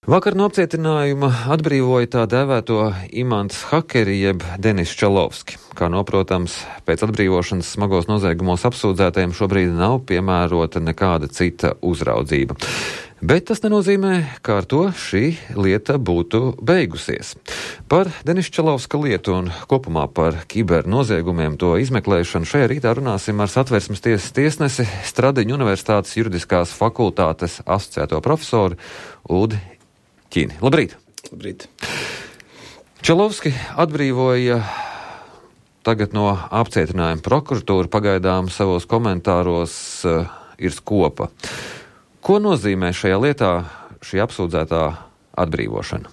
Vakar no apcietinājuma atbrīvoja tā dēvēto imants hakeri jeb Denis Čalovski. Kā noprotams, pēc atbrīvošanas smagos noziegumos apsūdzētajiem šobrīd nav piemērota nekāda cita uzraudzība. Bet tas nenozīmē, ka ar to šī lieta būtu beigusies. Par Denisa Čalovska lietu un kopumā par kibernoziegumiem to izmeklēšanu šajā rītā runāsim ar Satversmes tiesas tiesnesi, Stradiņu Universitātes juridiskās fakultātes asociēto profesoru Uldi Ķini. Labrīt! Labrīt! Čalovski atbrīvoja tagad no apcietinājuma. Prokuratūra pagaidām savos komentāros ir skopa. Ko nozīmē šajā lietā šī apsūdzētā atbrīvošana?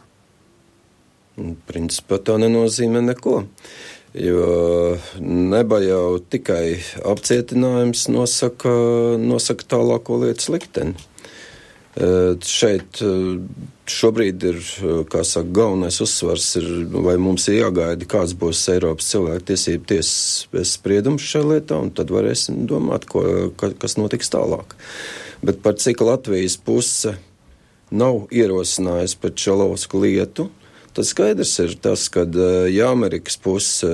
Principā tā nenozīmē neko, jo neba jau tikai apcietinājums nosaka tālāko lietas likteni. Šeit šobrīd ir, kā saka, galvenais uzsvars ir, vai mums ir jāgaida, kāds būs Eiropas cilvēktiesību tiesas spriedums šajā lietā, un tad varēsim domāt, kas notiks tālāk. Bet par cik Latvijas puse nav ierosinājusi par Čalovsku lietu, tad skaidrs ir tas, ka ja Amerikas puse,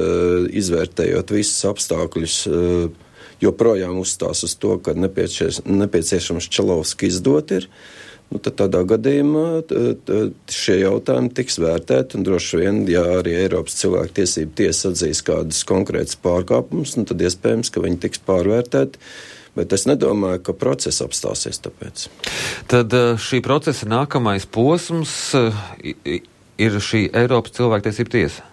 izvērtējot visus apstākļus, joprojām uzstās uz to, ka nepieciešams Čalovski izdot ir, tad tādā gadījumā šie jautājumi tiks vērtēti, un droši vien, ja arī Eiropas cilvēktiesību tiesa atzīs kādus konkrētus pārkāpumus, tad iespējams, ka viņi tiks pārvērtēti, bet es nedomāju, ka process apstāsies tāpēc. Tad šī procesa nākamais posms ir šī Eiropas cilvēktiesību tiesa?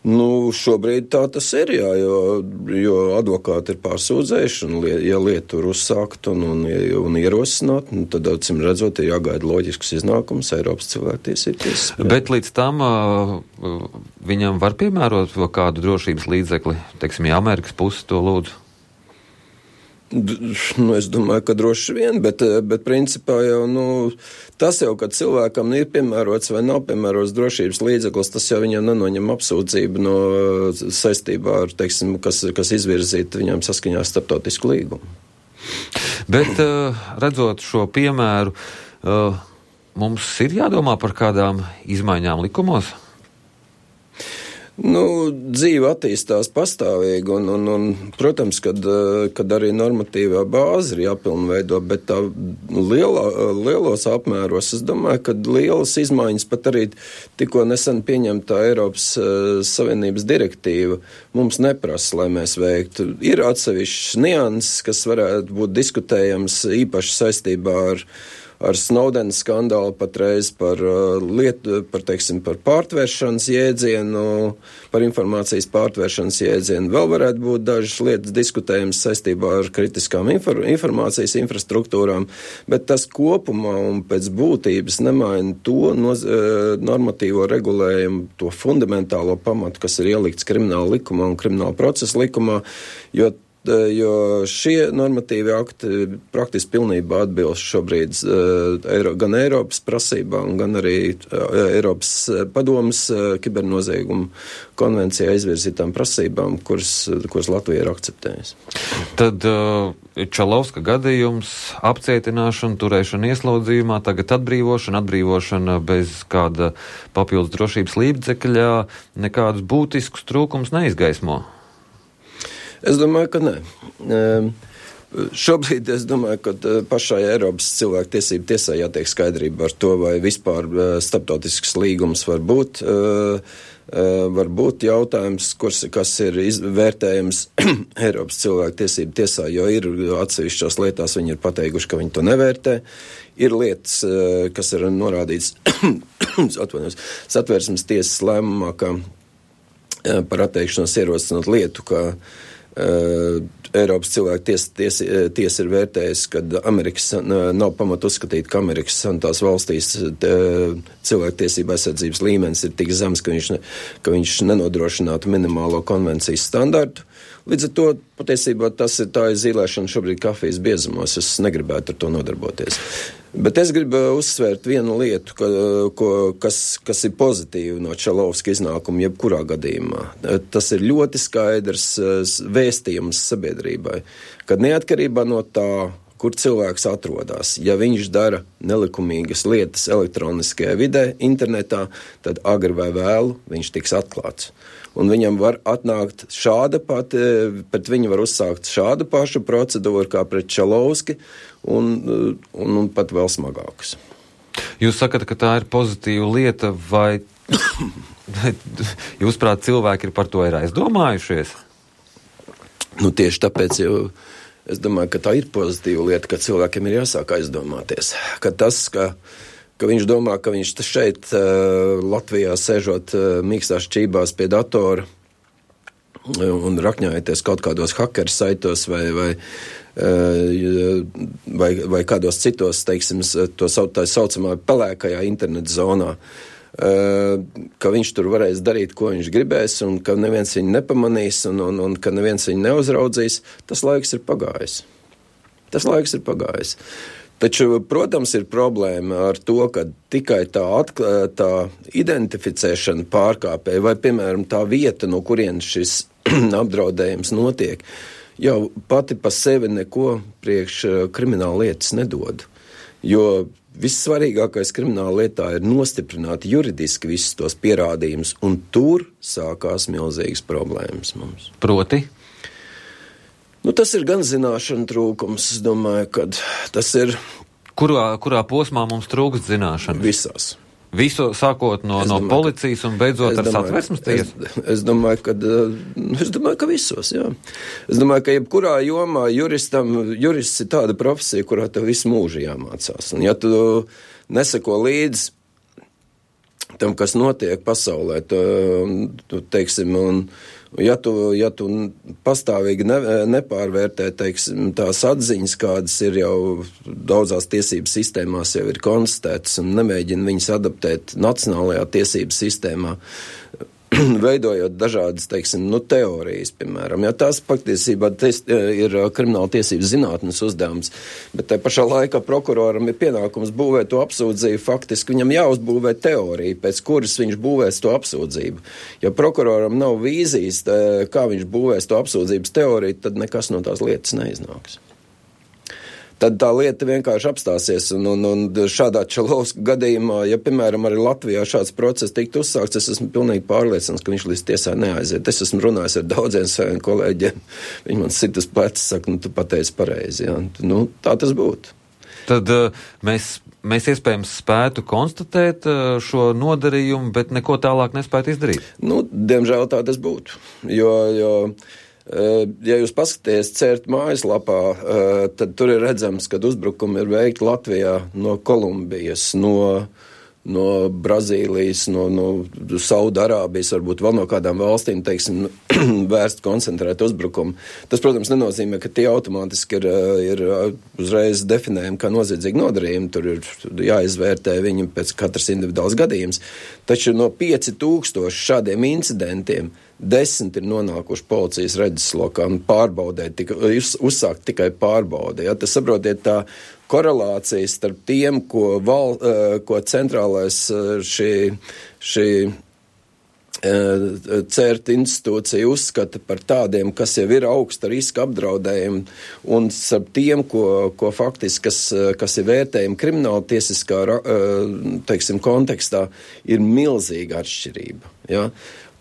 Šobrīd tā tas ir, jā, jo advokāti ir pārsūdzējuši, un ja lieta ir uzsākt un ierosināt, tad, acīm redzot, ir jāgaida loģisks iznākums Eiropas cilvēktiesību tiesas. Bet līdz tam viņam var piemērot kādu drošības līdzekli, teiksim, ja Amerikas puse to lūdzu? Es domāju, ka droši vien, bet principā jau, tas jau, kad cilvēkam ir piemērots vai nav piemērots drošības līdzeklis, tas jau viņam nenoņem apsūdzību no saistībā ar, teiksim, kas izvirzīta viņam saskaņā starptautisku līgumu. Bet, redzot šo piemēru, mums ir jādomā par kādām izmaiņām likumos? Dzīve attīstās pastāvīgi, un protams, kad arī normatīvā bāze ir jāpilnveido, bet tā lielos apmēros, es domāju, ka lielas izmaiņas pat arī tikko nesen pieņemtā Eiropas Savienības direktīva mums neprasa, lai mēs veiktu. Ir atsevišķs nianses, kas varētu būt diskutējams īpaši saistībā ar Snowdena skandālu patreiz par pārtvēršanas jēdzienu, par informācijas pārtvēršanas jēdzienu. Vēl varētu būt dažas lietas diskutējums saistībā ar kritiskām informācijas infrastruktūrām, bet tas kopumā un pēc būtības nemaina to normatīvo regulējumu, to fundamentālo pamatu, kas ir ielikts krimināla likumā un krimināla procesa likumā, jo šie normatīvi akti praktiski pilnībā atbilst šobrīd gan Eiropas prasībām, gan arī Eiropas padomes kibernoziegumu konvencijā izvirzītām prasībām, kuras Latvija ir akceptējusi. Tad Čalovska gadījums, apcietināšana, turēšana ieslodzījumā, tagad atbrīvošana bez kāda papildus drošības līdzekļa, nekādus būtiskus trūkumus neizgaismo. Es domāju, ka nē. Šobrīd es domāju, ka pašai Eiropas cilvēktiesību tiesai jātiek skaidrība ar to, vai vispār starptautisks līgums var būt jautājums, kas ir vērtējams Eiropas cilvēktiesību tiesā, jo ir atsevišķās lietās viņi ir pateikuši, ka viņi to nevērtē. Ir lietas, kas ir norādīts Satversmes tiesas lēmumā, ka par atteikšanos ierosināt lietu, ka Eiropas cilvēktiesa ir vērtējusi, ka nav pamata uzskatīt, ka Amerikas Savienotās valstīs cilvēktiesība aizsardzības līmenis ir tik zems, ka viņš nenodrošinātu minimālo konvencijas standartu. Līdz ar to patiesībā tā ir zīlēšana šobrīd kafijas biezumos. Es negribētu ar to nodarboties. Bet es gribu uzsvērt vienu lietu, kas ir pozitīva no Čalovska iznākuma jebkurā gadījumā. Tas ir ļoti skaidrs vēstījums sabiedrībai, ka neatkarībā no tā, kur cilvēks atrodas. Ja viņš dara nelikumīgas lietas elektroniskajā vidē, internetā, tad agri vai vēlu viņš tiks atklāts. Un viņam var atnākt pret viņu var uzsākt šāda paša procedūra kā pret Čalovski un pat vēl smagākas. Jūs sakat, ka tā ir pozitīva lieta, vai jūsuprāt cilvēki par to ir aizdomājušies? Tieši tāpēc jau es domāju, ka tā ir pozitīva lieta, ka cilvēkiem ir jāsāk aizdomāties. Ka tas, ka viņš domā, ka viņš šeit Latvijā sēžot mīkstās čībās pie datora un rakņājoties kaut kādos hakeru saitos vai kādos citos, teiksim, tā saucamā pelēkajā internet zonā, ka viņš tur varēs darīt, ko viņš gribēs, un ka neviens viņu nepamanīs, un ka neviens viņu neuzraudzīs, tas laiks ir pagājis. Taču, protams, ir problēma ar to, ka tikai tā identificēšana pārkāpēja, vai, piemēram, tā vieta, no kurienes šis apdraudējums notiek, jau pati pa sevi neko priekš krimināla lietas nedod. Jo vissvarīgākais krimināla lietā ir nostiprināt juridiski visus tos pierādījumus, un tur sākās milzīgas problēmas mums. Proti? Tas ir gan zināšana trūkums, es domāju, ka tas ir... Kurā posmā mums trūkst zināšana? Visās. Visu sākot no policijas un beidzot ar Satversmes tiesu? Es domāju, ka visos, jā. Es domāju, ka jebkurā jomā jurists ir tāda profesija, kurā tev visu mūžu jāmācās. Un ja tu neseko līdz tam, kas notiek pasaulē, teiksim, un ja tu pastāvīgi nepārvērtē, teiksim, tās atziņas, kādas ir jau daudzās tiesību sistēmās jau ir konstatētas un nemēģina viņas adaptēt nacionālajā tiesību sistēmā, veidojot dažādas, teiksim, teorijas, piemēram. Ja tās patiesībā ir krimināla tiesības zinātnes uzdevums, bet tai pašā laikā prokuroram ir pienākums būvēt to apsūdzību, faktiski viņam jāuzbūvē teorija, pēc kuras viņš būvēs to apsūdzību. Ja prokuroram nav vīzijas, kā viņš būvēs to apsūdzības teoriju, tad nekas no tās lietas neiznāks. Tad tā lieta vienkārši apstāsies, un šādā Čalovska gadījumā, ja, piemēram, arī Latvijā šāds process tiktu uzsākts, es esmu pilnīgi pārliecināts, ka viņš līdz tiesā neaiziet. Es esmu runājis ar daudziem saviem kolēģiem, viņi man sit uz pleca, saka, tu pateici pareizi, jā. Tā tas būtu. Tad mēs iespējams spētu konstatēt šo nodarījumu, bet neko tālāk nespētu izdarīt? Diemžēl tā tas būtu, jo ja jūs paskaties CERT mājaslapā, tad tur ir redzams, ka uzbrukumi ir veikti Latvijā no Kolumbijas, no Brazīlijas, no Saudarābijas, varbūt vēl no kādām valstīm, teiksim, vērst koncentrēt uzbrukumu. Tas, protams, nenozīmē, ka tie automātiski ir uzreiz definējumi kā noziedzīgi nodarījumi. Tur ir jāizvērtē viņu pēc katras individuāls gadījums. Taču no 5000 šādiem incidentiem 10 ir nonākuši policijas redzeslokā un pārbaudē, uzsākt tikai pārbaudē. Ja? Tas, saprotiet, tā korelācija starp tiem, ko centrālais šī CERT institūcija uzskata par tādiem, kas jau ir augsta riska apdraudējumi, un starp tiem, ko faktiski, kas ir vērtējumi krimināla tiesiskā, teiksim, kontekstā, ir milzīga atšķirība. Ja?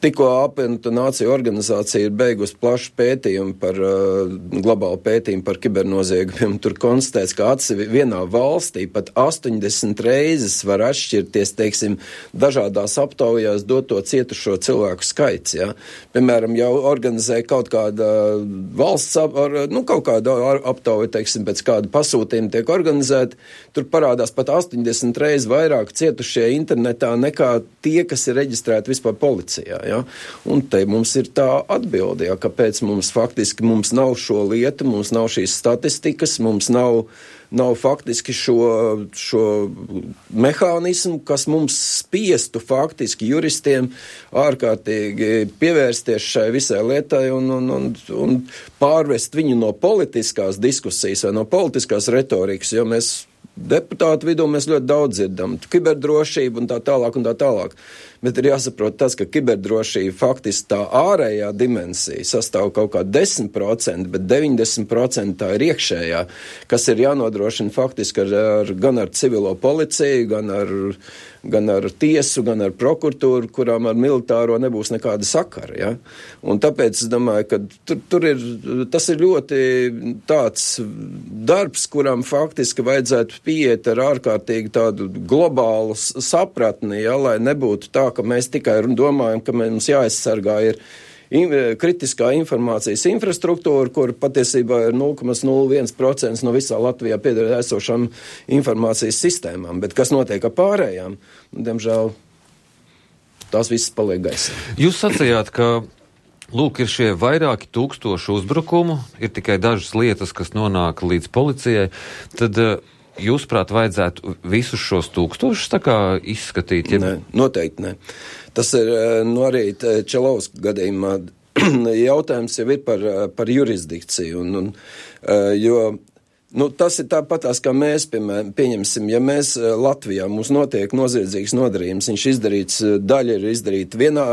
Tikko apvienoto nāciju organizācija ir beigusi plašu pētījumu globālu pētījumu par kibernoziegumiem. Tur konstatēts, ka vienā valstī pat 80 reizes var atšķirties, teiksim, dažādās aptaujās doto cietušo cilvēku skaits. Ja? Piemēram, jau organizē kaut kāda valsts, kaut kāda aptauja, teiksim, pēc kāda pasūtījuma tiek organizēta, tur parādās pat 80 reizes vairāk cietušie internetā nekā tie, kas ir reģistrēti vispār policijā. Ja? Un te mums ir tā atbilde, ja, kāpēc mums nav šo lietu, mums nav šīs statistikas, mums nav faktiski šo mehānismu, kas mums spiestu faktiski juristiem ārkārtīgi pievērsties šai visai lietai un pārvest viņu no politiskās diskusijas vai no politiskās retorikas, jo mēs deputātu vidū mēs ļoti daudz dzirdam, kiberdrošību un tā tālāk. bet ir jāsaprot tas, ka kiberdrošība faktiski tā ārējā dimensija sastāv kaut kā 10%, bet 90% tā ir iekšējā, kas ir jānodrošina faktiski gan ar civilo policiju, gan ar tiesu, gan ar prokuratūru, kurām ar militāro nebūs nekāda sakara. Ja? Un tāpēc es domāju, ka tas ir ļoti tāds darbs, kuram faktiski vajadzētu pieiet ar ārkārtīgi tādu globālu sapratni, ja? Lai nebūtu tā, ka mēs tikai domājam, ka mums jāaizsargā ir kritiskā informācijas infrastruktūra, kur patiesībā ir 0,01% no visā Latvijā pieder esošām informācijas sistēmām. Bet kas notiek ar pārējām? Diemžēl tās visas paliek gaisā. Jūs sacījāt, ka lūk, ir šie vairāki tūkstoši uzbrukumu, ir tikai dažas lietas, kas nonāk līdz policijai. Tad jūsuprāt, vajadzētu visus šos tūkstošus tā kā izskatīt? Nē, noteikti ne. Tas ir arī Čalovska gadījumā jautājums jau ir par jurisdikciju. Jo tas ir tāpatās, kā mēs, piemēram, pieņemsim, ja mēs Latvijā mums notiek noziedzīgs nodarījums, daļa ir izdarīta vienā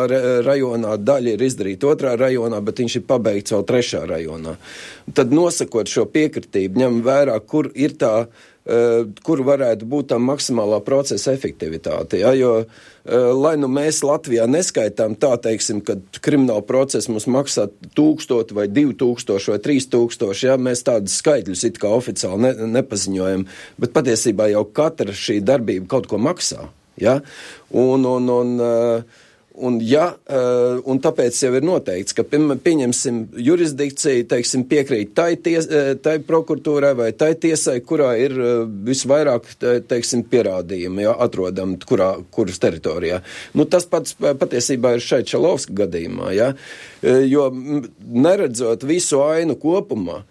rajonā, daļa ir izdarīta otrā rajonā, bet viņš ir pabeigts vēl trešā rajonā. Tad nosakot šo piekritību, ņem vērā, kur varētu būt tā maksimālā procesa efektivitāte. Ja? Jo, lai mēs Latvijā neskaitām tā, teiksim, kad krimināla procesa mums maksā 1000 vai 2000 vai 3000, ja? Mēs tādus skaitļus it kā oficiāli nepaziņojam, bet patiesībā jau katra šī darbība kaut ko maksā. Ja? Un tāpēc jau ir noteikts, ka pieņemsim jurisdikciju, teiksim, piekrīt tai prokuratūrai vai tai tiesai, kurā ir visvairāk, teiksim, pierādījumi, ja, atrodam, kuras teritorijā. Tas pats patiesībā ir šeit Čalovska gadījumā, ja, jo neredzot visu ainu kopumā,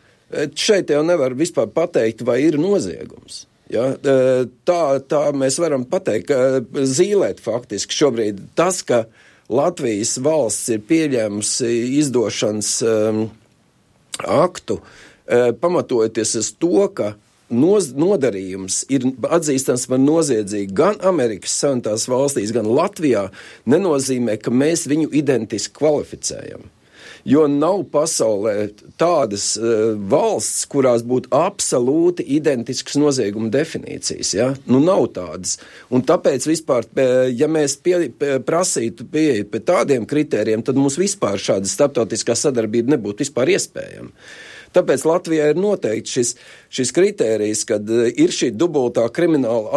šeit jau nevar vispār pateikt, vai ir noziegums. Ja, tā mēs varam pateikt, zīlēt faktiski šobrīd tas, ka Latvijas valsts ir pieļēmusi izdošanas aktu, pamatojoties uz to, ka nodarījums ir atzīstams par noziedzīgu gan Amerikas Savienotās valstīs, gan Latvijā, nenozīmē, ka mēs viņu identiski kvalificējam. Jo nav pasaulē tādas valsts, kurās būtu absolūti identiskas nozieguma definīcijas. Ja? Nav tādas. Un tāpēc vispār, ja mēs prasītu pieeja pie tādiem kritērijiem, tad mums vispār šāda starptautiskā sadarbība nebūtu vispār iespējama. Tāpēc Latvijā ir noteikti šis kritērijs, kad ir šī dubultā krimināla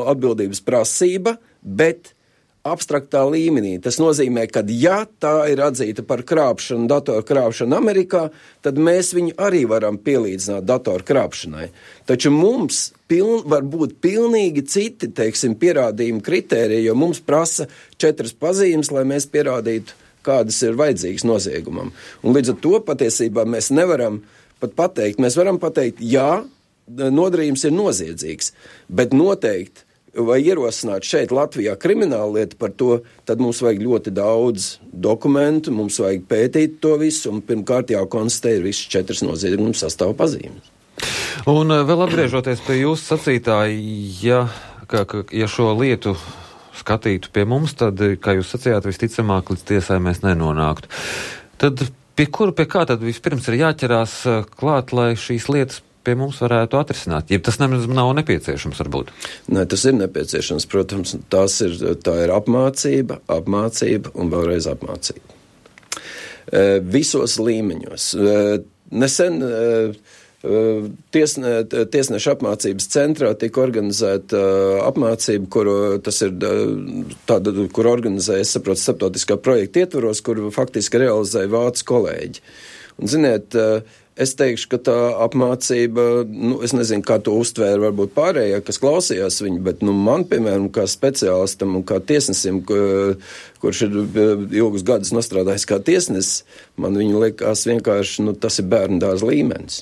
atbildības prasība, bet abstraktā līmenī. Tas nozīmē, ka ja tā ir atzīta par krāpšanu, datoru krāpšanu Amerikā, tad mēs viņu arī varam pielīdzināt datoru krāpšanai. Taču mums var būt pilnīgi citi, teiksim, pierādījumi kritēriji, jo mums prasa 4 pazīmes, lai mēs pierādītu, kādas ir vajadzīgas noziegumam. Un līdz ar to patiesībā mēs nevaram pat pateikt. Mēs varam pateikt, jā, nodarījums ir noziedzīgs, bet noteikti vai ierosināt šeit Latvijā kriminālu lietu par to, tad mums vajag ļoti daudz dokumentu, mums vajag pētīt to visu, un pirmkārt jākonstatē ir visas 4 noziegumu sastāvu pazīmes. Un vēl atgriežoties pie jūsu sacītā, ja šo lietu skatītu pie mums, tad, kā jūs sacījāt, visticamāk līdz tiesai mēs nenonāktu. Tad pie kā tad vispirms ir jāķerās klāt, lai šīs lietas pie mums varētu atrisināt? Ja tas nav nepieciešams, varbūt? Nē, tas ir nepieciešams, protams. Tā ir apmācība un vēlreiz apmācība. Visos līmeņos. Nesen tiesneša apmācības centrā tika organizēta apmācība, kur organizēja, es saprotu, starptautiskā projekta ietvaros, kur faktiski realizēja vācu kolēģi. Un, ziniet, es teikšu, ka tā apmācība, es nezinu, kā to uztvēra varbūt pārējā, kas klausījās viņu, bet man, piemēram, kā speciālistam un kā tiesnesim, kurš ir ilgus gadus nostrādājis kā tiesnesis, man viņu liekas vienkārši, tas ir bērnu dārza līmenis.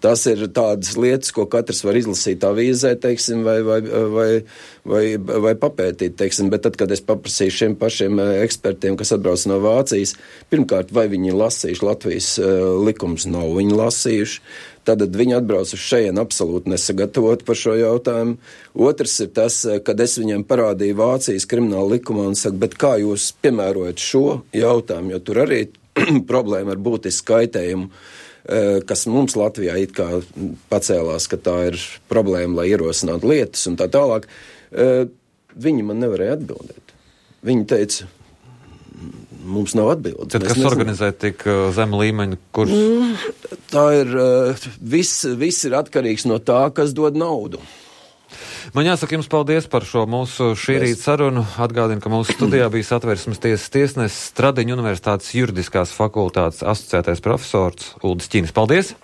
Tas ir tādas lietas, ko katrs var izlasīt avīzē, teiksim, vai papētīt, teiksim, bet tad, kad es paprasīju šiem pašiem ekspertiem, kas atbrauc no Vācijas, pirmkārt, vai viņi lasījuši Latvijas likums, nav viņi lasījuši, tad viņi atbrauc uz šeien absolūti nesagatavot par šo jautājumu. Otrs ir tas, kad es viņiem parādīju Vācijas krimināla likumā un saku, bet kā jūs piemērojat šo jautājumu, jo tur arī problēma ar būtisku kaitējumu, kas mums Latvijā it kā pacēlās, ka tā ir problēma, lai ierosinātu lietas un tā tālāk. Viņi man nevarēja atbildēt. Viņi teica, mums nav atbildes. Tad, kas organizē tik zemu līmeņu kursus? Tā ir, viss ir atkarīgs no tā, kas dod naudu. Man jāsaka jums paldies par šo mūsu šī rīta sarunu. Atgādinu, ka mūsu studijā bija Satversmes tiesas tiesnesis, Stradiņu Universitātes juridiskās fakultātes asociētais profesors Uldis Ķinis. Paldies!